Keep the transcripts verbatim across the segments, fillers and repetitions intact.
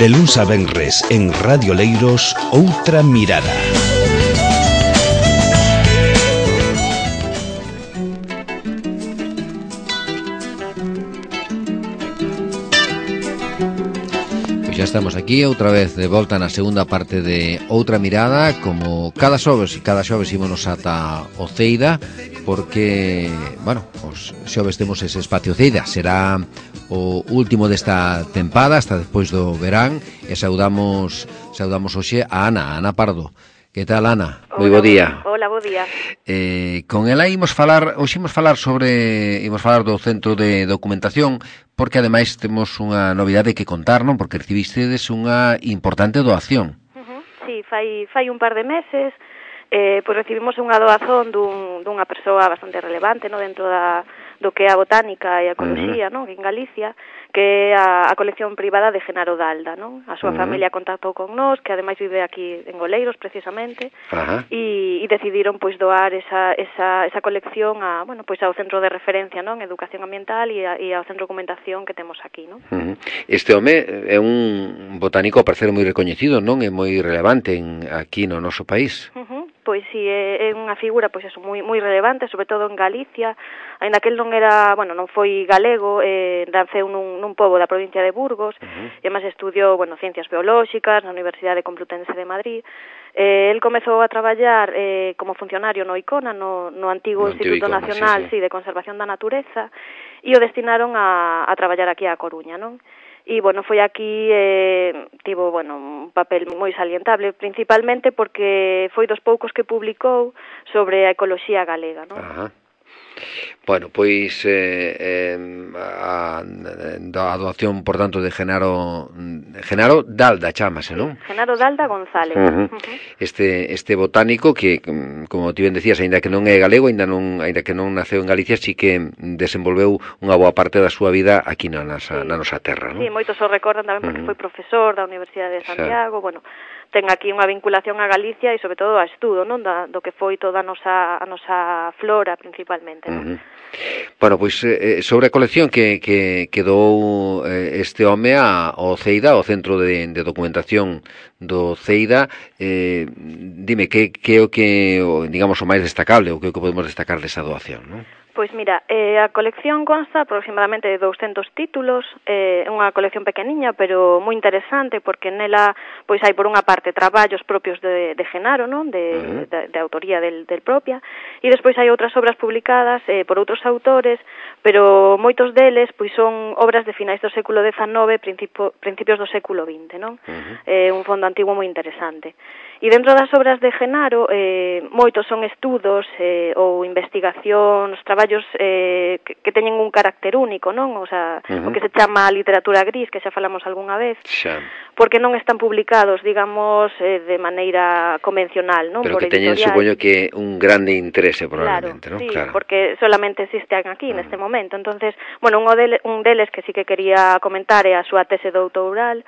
De luns a venres en Radio Leiros, Outra Mirada. Ya estamos aquí outra vez de volta na segunda parte de Outra Mirada. Como cada xoves e cada xoves ímonos ata o Ceida, porque, bueno, os xoves temos ese espacio Ceida. Será o último desta tempada hasta despois do verán, e saudamos saudamos hoxe a Ana, a Ana Pardo. Que tal, Ana? Moi bo día. Hola, bo día. Eh, con ela imos falar, hoxe imos falar sobre, imos falar do Centro de Documentación, porque ademais temos unha novidade que contar, non? Porque recibistedes unha importante doación. Uh-huh. Sí, fai, fai un par de meses, eh, pois recibimos unha doazón dun, dunha persoa bastante relevante, non? Dentro da, do que é a botánica e a ecoloxía, uh-huh. non? En Galicia, que é a, a colección privada de Genaro Dalda, non? A súa uh-huh. familia contactou con nós, que ademais vive aquí en Oleiros, precisamente, uh-huh. e, e decidiron, pois, doar esa, esa, esa colección a, bueno, pois, ao centro de referencia, non? Educación ambiental e, a, e ao centro de documentación que temos aquí, non? Uh-huh. Este home é un botánico, a parecer, moi recoñecido, non? É moi relevante en, aquí no noso país. Uh-huh. Pois si, é, é unha figura, pois eso, moi moi relevante, sobre todo en Galicia, aínda que el non era, bueno, non foi galego, eh, naceu nun, nun pobo da provincia de Burgos, uh-huh. e además estudiou, bueno, ciencias biolóxicas na Universidade Complutense de Madrid. Eh, el comezou a traballar eh, como funcionario no ICONA, no, no antigo no Instituto Icona, Nacional sí, sí. Sí, de Conservación da Natureza, e o destinaron a, a traballar aquí a Coruña, non? E, bueno, foi aquí, eh, tivo, bueno, un papel moi salientable, principalmente porque foi dos poucos que publicou sobre a ecoloxía galega, non? Ajá. Bueno, pois eh, eh, a, a doación, por tanto, de Genaro Genaro Dalda, chámase, non? Sí, Genaro Dalda González. Uh-huh. Uh-huh. Este este botánico que, como ti ben decías, aínda que non é galego, aínda non aínda que non naceu en Galicia, sí que desenvolveu unha boa parte da súa vida aquí na nosa, sí. na nosa terra, non? Sí, moitos o recordan tamén porque uh-huh. foi profesor da Universidade de Santiago, sí. bueno, ten aquí unha vinculación a Galicia e sobre todo a estudo, non, da, do que foi toda a nosa a nosa flora principalmente, non? Uh-huh. Bueno, pois eh, sobre a colección que, que, que dou eh, este home a, ao Ceida, ao Centro de, de Documentación do Ceida, eh, dime, que, que é o que, digamos, o máis destacable, o que, o que podemos destacar desa doación, non? Pois mira, eh, a colección consta aproximadamente de douscentos títulos, é eh, unha colección pequeniña, pero moi interesante, porque nela pois hai por unha parte traballos propios de, de Genaro, non? De, uh-huh. de, de autoría del, del propia, e despois hai outras obras publicadas eh, por outros autores, pero moitos deles pois son obras de finais do século dezanove, principio, principios do século vinte, non? Uh-huh. É eh, un fondo antigo moi interesante. E dentro das obras de Genaro, eh, moitos son estudos eh, ou investigacións, traballos eh, que, que teñen un carácter único, non? O sea, uh-huh. o que se chama literatura gris, que xa falamos algunha vez, xa. Porque non están publicados, digamos, eh, de maneira convencional, non? Pero por que teñen, supoño, que un grande interese, probablemente, claro, non? Sí, claro, porque solamente existen aquí, uh-huh. neste momento. Entonces, bueno, un, dele, un deles que sí que quería comentar é a súa tese doutoral,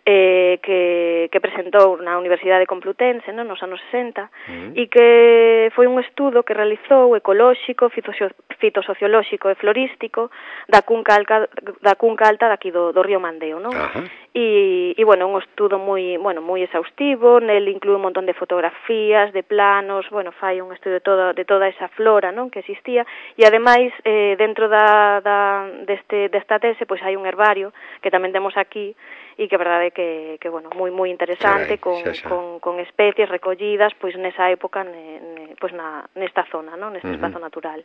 eh, que, que presentou na Universidade Complutense, non, nos anos sesenta, uh-huh. e que foi un estudo que realizou ecolóxico, fitosociolóxico e florístico da cunca alta, da cunca alta daqui do, do río Mandeo, non? Uh-huh. E, e, bueno, un estudo moi, bueno, moi exhaustivo, nel inclúe un montón de fotografías, de planos, bueno, fai un estudo de toda, de toda esa flora, non, que existía, e ademais, eh, dentro da, da, deste, desta tese, pois hai un herbario, que tamén temos aquí, e que a verdade é que, que bueno, moi moi interesante, Carai, con, xa, xa. con con especies recollidas pois nesa época ne, ne, pois na nesta zona, non, neste uh-huh. espazo natural.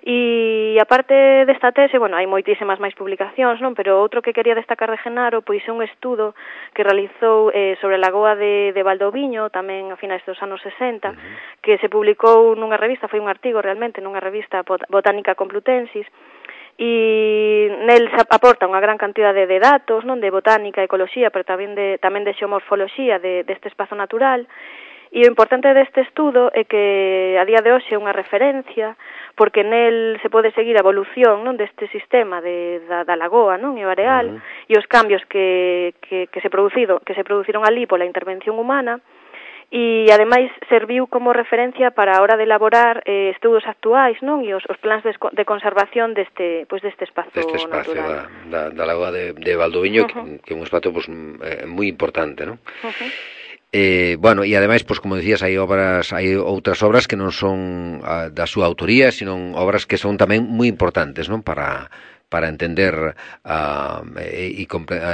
E aparte desta tese, bueno, hai moitísimas máis publicacións, non, pero outro que quería destacar de Genaro pois é un estudo que realizou eh, sobre a lagoa de, de Valdoviño, tamén a finais dos anos sesenta, uh-huh. que se publicou nunha revista, foi un artigo realmente nunha revista Botánica Complutensis, e nel se aporta unha gran cantidade de datos, non, de botánica, ecoloxía, pero tamén de tamén de xeomorfoloxía de deste espazo natural. E o importante deste estudo é que a día de hoxe é unha referencia, porque nel se pode seguir a evolución, non, deste sistema de da, da lagoa, non, e o areal, uh-huh. e os cambios que, que que se producido, que se produciron ali pola intervención humana. e ademais serviu como referencia para a hora de elaborar eh, estudos actuais, non? E os, os plans de, de conservación deste, pois deste espazo, deste espacio natural. Da, da, da lagoa de, de Valdoviño, uh -huh. que, que é un espacio pues, eh, moi importante, non? Uh -huh. Eh, bueno, e ademais, pois, como decías, hai obras, hai outras obras que non son a, da súa autoría, sino obras que son tamén moi importantes, non? Para para entender uh, e, e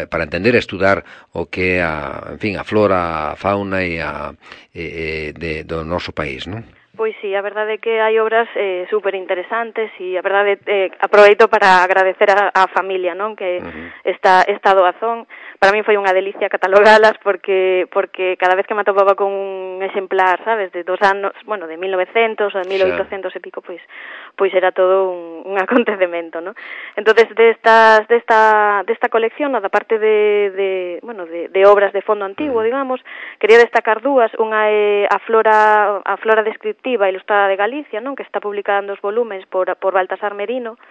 para entender e estudar o que é a, en fin, a flora, a fauna e a e, de, do noso país, non? Pois sí, a verdade é que hai obras eh, super interesantes e a verdade eh, aproveito para agradecer a, a familia, non? Que uh -huh. esta, esta doazón para mí foi unha delicia catalogalas porque porque cada vez que me atopaba con un exemplar, sabes, de dos anos, bueno, de mil novecientos ou de mil oitocentos e pico, pois pois era todo un, un acontecemento, ¿no? Entonces, destas desta desta colección, da parte de de, bueno, de de obras de fondo antiguo, digamos, quería destacar dúas, unha é a flora a flora descriptiva ilustrada de Galicia, non, que está publicada en dos volumes por por Baltasar Merino,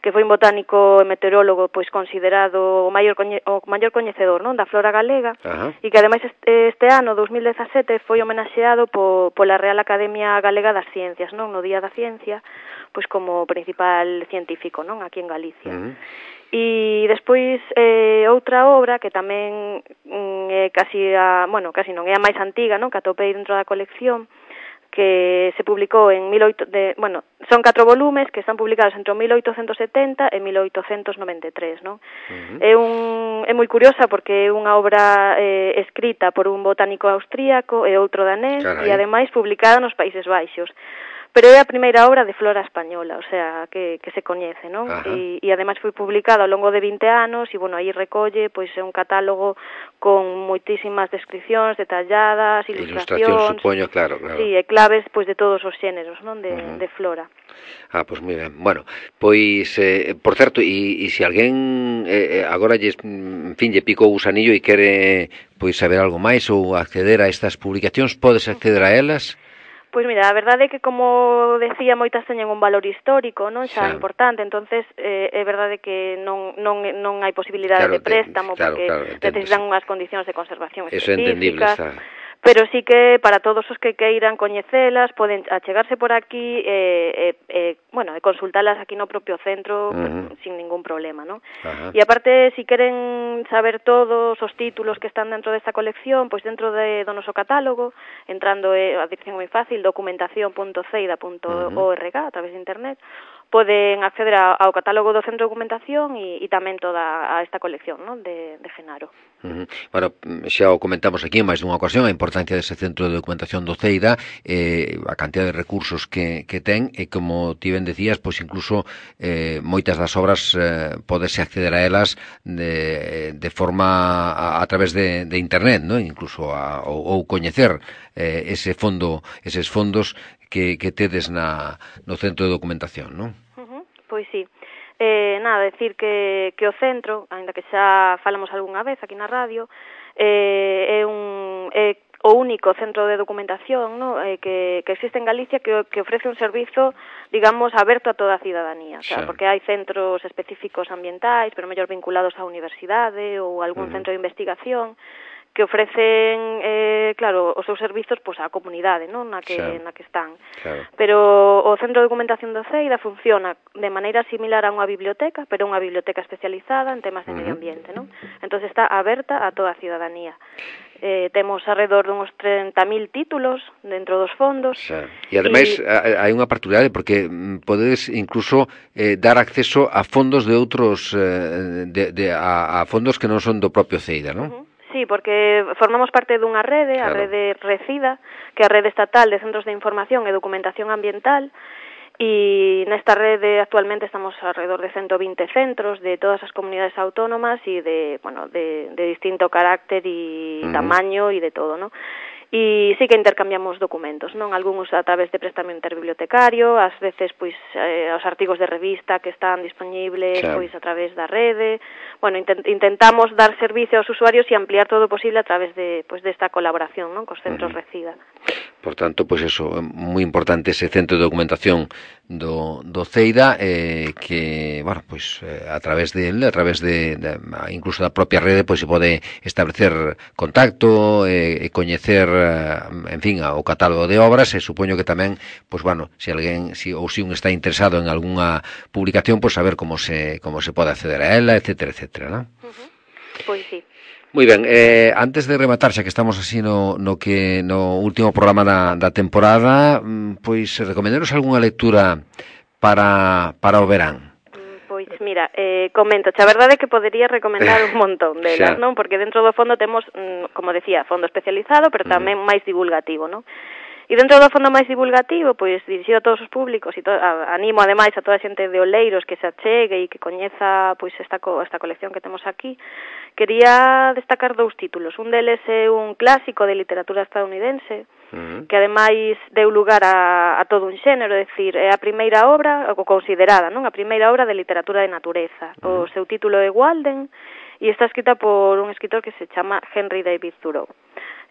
que foi un botánico e meteorólogo pois considerado o maior coñe, o maior coñecedor, non, da flora galega, e que ademais este, este ano dos mil dezasete foi homenaxeado po, pola Real Academia Galega das Ciencias, non, no Día da Ciencia, pois como principal científico, non, aquí en Galicia. Uh -huh. E despois eh, outra obra que tamén mm, é casi a, bueno, casi non é a máis antiga, non, que atopei dentro da colección, que se publicou en mil oito, de, bueno, son catro volumes que están publicados entre mil oitocentos setenta e mil oitocentos noventa e tres, non? Uh -huh. É un é moi curiosa porque é unha obra eh, escrita por un botánico austríaco e outro danés. Carai. E ademais publicada nos Países Baixos. Pero é a primeira obra de flora española, o sea, que, que se coñece, non? E, e ademais foi publicada ao longo de vinte anos e, bueno, aí recolle, pois, é un catálogo con moitísimas descripcións detalladas, ilustracións, supoño, claro, claro. Sí, e claves, pois, de todos os xéneros, non? De, uh -huh. de flora. Ah, pois moi ben. Bueno, pois, eh, por certo, e, e se alguén eh, agora, lle, en fin, lle picou o gusanillo e quere, pois, saber algo máis ou acceder a estas publicacións, podes acceder a elas? Pois mira, a verdade é que, como decía, moitas teñen un valor histórico, non, xa, xa. importante, entonces eh, é verdade que non non non hai posibilidade claro, de préstamo, claro, porque claro, necesitan unhas condicións de conservación específicas. Eso é entendible, está. Pero sí que para todos os que queiran coñecelas poden achegarse por aquí e, e, e bueno, e consultalas aquí no propio centro, uh -huh. pues, sin ningún problema, ¿no? Uh -huh. E aparte, si queren saber todos os títulos que están dentro desta colección, pois pues dentro de, do noso catálogo, entrando eh, a dirección moi fácil, documentación punto ceida punto org, uh -huh. a través de internet, poden acceder a, ao catálogo do Centro de Documentación e, e tamén toda a esta colección, non, de, de Genaro. Uh -huh. Bueno, xa o comentamos aquí en máis dunha ocasión, a importancia dese Centro de Documentación do Ceida, eh, a cantidad de recursos que, que ten, e como ti ben decías, pois incluso eh, moitas das obras eh, podese acceder a elas de, de forma a, a través de, de internet, non? Incluso a, ou, ou coñecer eh, ese fondo, eses fondos que, que tedes na, no Centro de Documentación, non? Uh-huh. Pois sí. Eh, nada, decir que, que o centro, aínda que xa falamos algunha vez aquí na radio, eh, é un é o único centro de documentación, no, eh, que, que existe en Galicia que, que ofrece un servizo, digamos, aberto a toda a cidadanía, o sea, sí. porque hai centros específicos ambientais, pero mellor vinculados á universidade ou algún uh-huh. centro de investigación, que ofrecen, eh, claro, os seus servizos pois á comunidade, non, na que claro. na que están. Claro. Pero o Centro de Documentación do Ceida funciona de maneira similar a unha biblioteca, pero unha biblioteca especializada en temas de uh -huh. medio ambiente, non? Entonces está aberta a toda a cidadanía. Eh, temos alrededor dunhos trinta mil títulos dentro dos fondos. Xa. E ademais e... hai unha particularidade porque podedes incluso eh, dar acceso a fondos de outros eh, de, de, a, a fondos que non son do propio Ceida, non? Uh -huh. Sí, porque formamos parte dunha rede, claro. a rede RECIDA, que é a Rede Estatal de Centros de Información e Documentación Ambiental, e nesta rede actualmente estamos alrededor de ciento vinte centros de todas as comunidades autónomas e de, bueno, de, de distinto carácter e uh -huh. tamaño e de todo, ¿no? E sí que intercambiamos documentos, non? Algúns a través de préstamo interbibliotecario, ás veces, pois, eh, os artigos de revista que están disponibles, claro. pois, a través da rede. Bueno, intent intentamos dar servicio aos usuarios e ampliar todo o posible a través de, pois, desta colaboración, non? Cos centros uh -huh. RECIDA. Por tanto, pois pues eso, moi importante ese centro de documentación do, do Ceida, eh, que, bueno, pois pues, eh, a través de a través de, de incluso da propia rede, pois pues, se pode establecer contacto, e eh, coñecer, eh, en fin, o catálogo de obras, e supoño que tamén, pois pues, bueno, se alguén, si, ou se si un está interesado en algunha publicación, pois pues, saber como se como se pode acceder a ela, etcétera, etcétera, ¿no? Uh-huh. Pois sí. Moi ben, eh, antes de rematar, xa que estamos así no, no que no último programa da, da temporada, pois recomendaros algunha lectura para, para o verán? Pois mira, eh, comento, a verdade é que podería recomendar un montón delas, non? Porque dentro do fondo temos, como decía, fondo especializado, pero tamén uh-huh. máis divulgativo, non? E dentro do fondo máis divulgativo, pois dirixido a todos os públicos e to, a, animo ademais a toda a xente de Oleiros que se achegue e que coñeza pois esta co, esta colección que temos aquí. Quería destacar dous títulos. Un deles é un clásico de literatura estadounidense, uh-huh. que ademais deu lugar a, a todo un xénero, é dicir, é a primeira obra, ou considerada, non? A primeira obra de literatura de natureza. Uh-huh. O seu título é Walden e está escrita por un escritor que se chama Henry David Thoreau.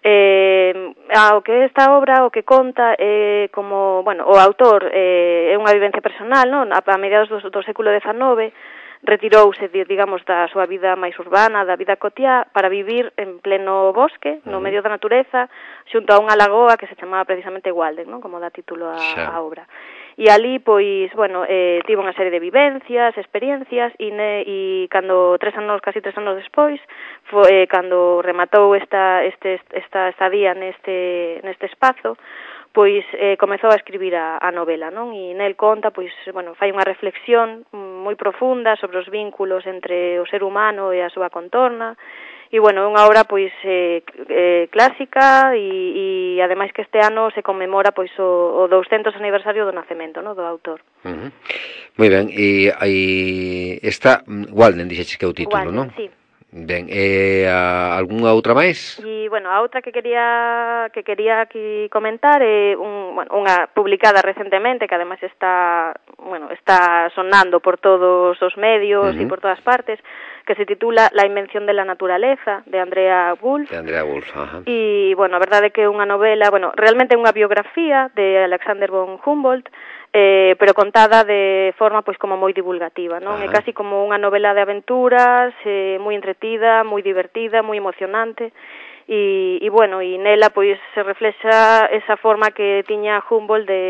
Eh, ao que esta obra o que conta é eh, como, bueno, o autor eh, é unha vivencia personal, non? A, a mediados do, do século dezenove retirouse, digamos, da súa vida máis urbana, da vida cotiá, para vivir en pleno bosque, no medio da natureza, xunto a unha lagoa que se chamaba precisamente Walden, non? Como dá título a, a obra. E ali, pois, bueno, eh, tivo unha serie de vivencias, experiencias, e, ne, e cando tres anos, casi tres anos despois, foi eh, cando rematou esta, este, esta estadía neste, neste espazo, pois eh, comezou a escribir a, a novela, non? E nel conta, pois, bueno, fai unha reflexión moi profunda sobre os vínculos entre o ser humano e a súa contorna. E, bueno, é unha obra, pois, eh, eh, clásica e, e, ademais, que este ano se conmemora, pois, o, o douscentos aniversario do nacemento, no, do autor. Uh-huh. Moi ben, e, e esta, Walden, dixeches que é o título, non? Sí. Ben, e a, algunha outra máis? E, bueno, a outra que quería que quería aquí comentar é un, bueno, unha publicada recentemente que ademais está, bueno, está sonando por todos os medios e uh-huh. por todas partes, que se titula La invención de la naturaleza, de Andrea Wulf. De Andrea Wulf, ajá. E, bueno, a verdade é que é unha novela, bueno, realmente é unha biografía de Alexander von Humboldt, eh, pero contada de forma pois como moi divulgativa, non? Ajá. É casi como unha novela de aventuras, eh, moi entretida, moi divertida, moi emocionante. E, e bueno, e nela pois se reflexa esa forma que tiña Humboldt de,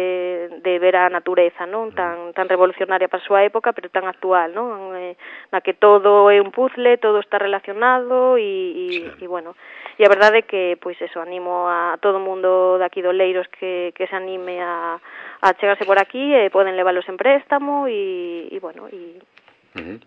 de ver a natureza, non? Tan, tan revolucionaria para a súa época, pero tan actual, non? Eh, na que todo é un puzzle, todo está relacionado e, e, sí. e bueno, e a verdade é que pois eso, animo a todo o mundo daqui do Leiros que, que se anime a, a chegarse por aquí e poden leválos en préstamo e, e bueno, e Uh-huh.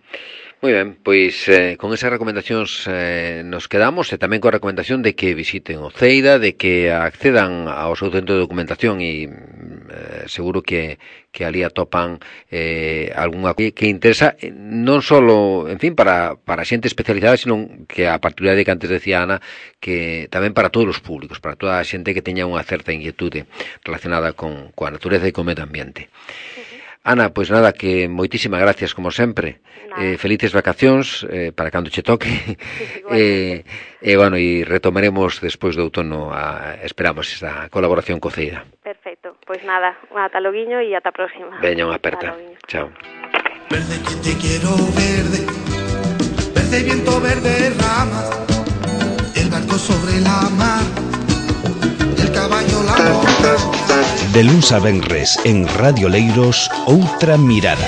Moi ben, pois eh, con esas recomendacións eh, nos quedamos e tamén coa recomendación de que visiten o Ceida, de que accedan ao seu centro de documentación e eh, seguro que, que ali atopan eh, algunha que, que interesa non só, en fin, para, para xente especializada, sino que a particularidade que antes decía Ana, que tamén para todos os públicos, para toda a xente que teña unha certa inquietude relacionada con, coa natureza e co medio ambiente. Ana, pois nada, que moitísimas gracias como sempre. Eh, felices vacacións eh, para cando che toque. E eh, eh, bueno, e retomaremos despois do outono, a, esperamos esta colaboración co Ceida. Perfecto. Pois nada, ata loguiño e ata a próxima. Veña, unha aperta. Chao. Verde que te quiero verde, verde viento, verde rama, el barco sobre la mar, el caballo la boca. De luns a venres en Radio Leiros, Outra Mirada.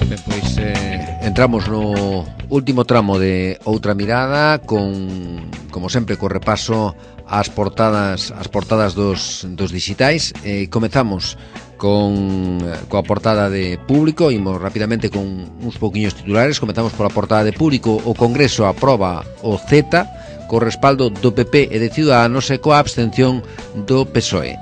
Ben, pois eh, entramos no último tramo de Outra Mirada con, como sempre, co repaso ás portadas as portadas dos, dos digitais. Eh, comezamos con coa portada de Público, imos rapidamente con uns pouquiños titulares. Comezamos pola portada de Público. O Congreso aproba o Z co respaldo do P P e de Ciudadanos e coa abstención do P S O E.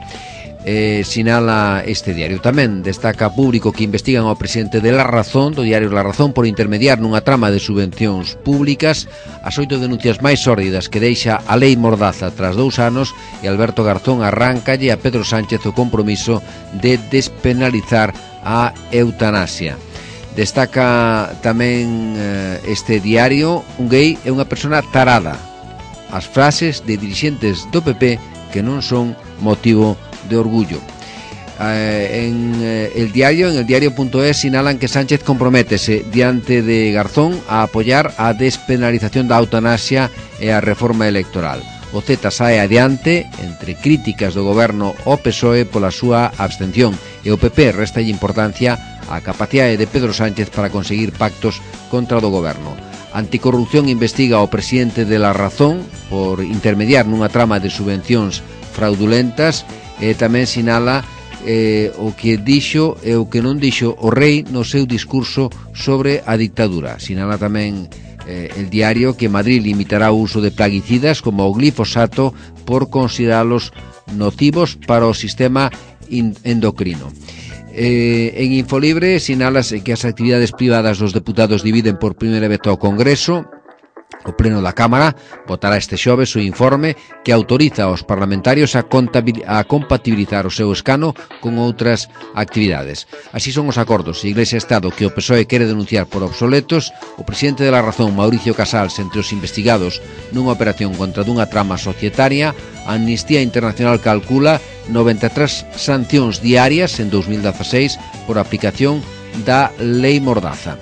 Eh, sinala este diario. Tamén destaca Público que investigan ao presidente de La Razón, do diario La Razón, por intermediar nunha trama de subvencións públicas, as oito denuncias máis sórdidas que deixa a lei Mordaza tras dous anos, e Alberto Garzón arráncalle a Pedro Sánchez o compromiso de despenalizar a eutanasia. Destaca tamén eh, este diario: un gay é unha persona tarada. As frases de dirixentes do P P que non son motivo de orgullo. Eh, en eh, el diario, en el diario.es, sinalan que Sánchez comprométese diante de Garzón a apoiar a despenalización da eutanasia e a reforma electoral. O Z sae adiante entre críticas do goberno ao P S O E pola súa abstención, e o P P restalle importancia á capacidade de Pedro Sánchez para conseguir pactos contra o do goberno. Anticorrupción investiga ao presidente de La Razón por intermediar nunha trama de subvencións fraudulentas, e tamén sinala Eh, o que dixo e o que non dixo o rei no seu discurso sobre a dictadura. Sinala tamén eh, el diario que Madrid limitará o uso de plaguicidas como o glifosato por consideralos nocivos para o sistema endocrino. Eh, en Infolibre sinálase que as actividades privadas dos deputados dividen por primeira vez ao Congreso. O Pleno da Cámara votará este xoves o informe que autoriza aos parlamentarios a, a compatibilizar o seu escano con outras actividades. Así son os acordos Iglesia-Estado que o P S O E quere denunciar por obsoletos. O presidente de La Razón, Mauricio Casals, entre os investigados nunha operación contra dunha trama societaria. Amnistía Internacional calcula noventa e tres sancións diarias en dos mil dezaseis por aplicación da Lei Mordaza.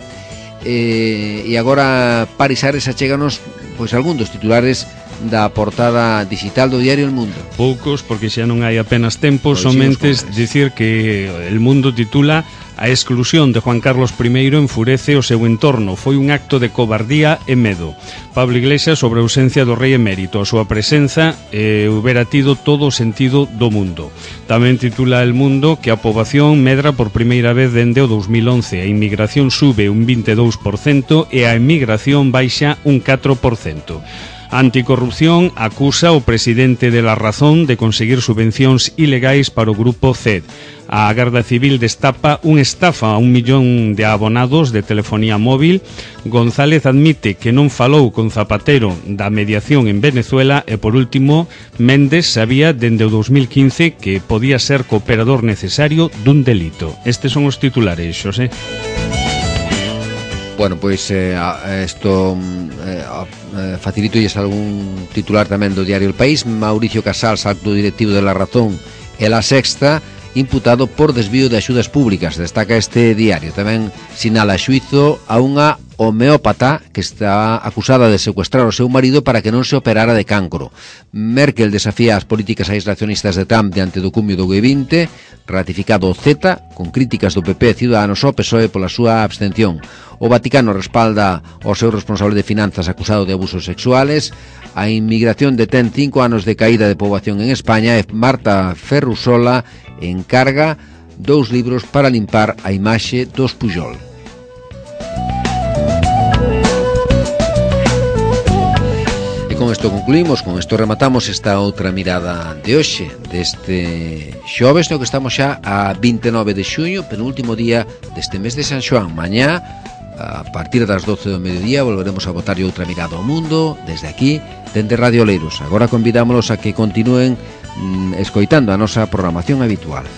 Eh, e agora Paris Ares achéganos pois algún dos titulares da portada digital do diario El Mundo. Poucos, porque xa non hai apenas tempo, pois somente dicir que El Mundo titula: a exclusión de Juan Carlos I enfurece o seu entorno, foi un acto de cobardía e medo. Pablo Iglesias sobre a ausencia do rei emérito, a súa presenza eh, houbera tido todo o sentido do mundo. Tamén titula El Mundo que a poboación medra por primeira vez dende o dos mil once, a inmigración sube un vinte e dous por cento e a emigración baixa un catro por cento. Anticorrupción acusa o presidente de La Razón de conseguir subvencións ilegais para o grupo C E D. A Garda Civil destapa un estafa a un millón de abonados de telefonía móvil. González admite que non falou con Zapatero da mediación en Venezuela e, por último, Méndez sabía dende o dos mil quince que podía ser cooperador necesario dun delito. Estes son os titulares, Xosé. Bueno, pois eh, isto eh, facilito lles algún titular tamén do diario El País. Mauricio Casals, alto directivo de La Razón e La Sexta, imputado por desvío de axudas públicas. Destaca este diario. Tamén sinala xuízo a unha homeópata que está acusada de secuestrar o seu marido para que non se operara de cancro. Merkel desafía as políticas aislacionistas de Trump diante do cumio do G vinte. Ratificado o Z, con críticas do P P e Ciudadanos ao P S O E pola súa abstención. O Vaticano respalda ao seu responsable de finanzas acusado de abusos sexuales. A inmigración detén cinco anos de caída de poboación en España e Marta Ferrusola encarga dous libros para limpar a imaxe dos Pujol. Con isto concluímos, con isto rematamos esta outra mirada de hoxe, deste xoves, no que estamos xa a vinte e nove de xuño, penúltimo día deste mes de San Xoán. Mañá, a partir das doce do mediodía, volveremos a botar outra mirada ao mundo, desde aquí, dende Radio Leiros. Agora convidámolos a que continúen mm, escoitando a nosa programación habitual.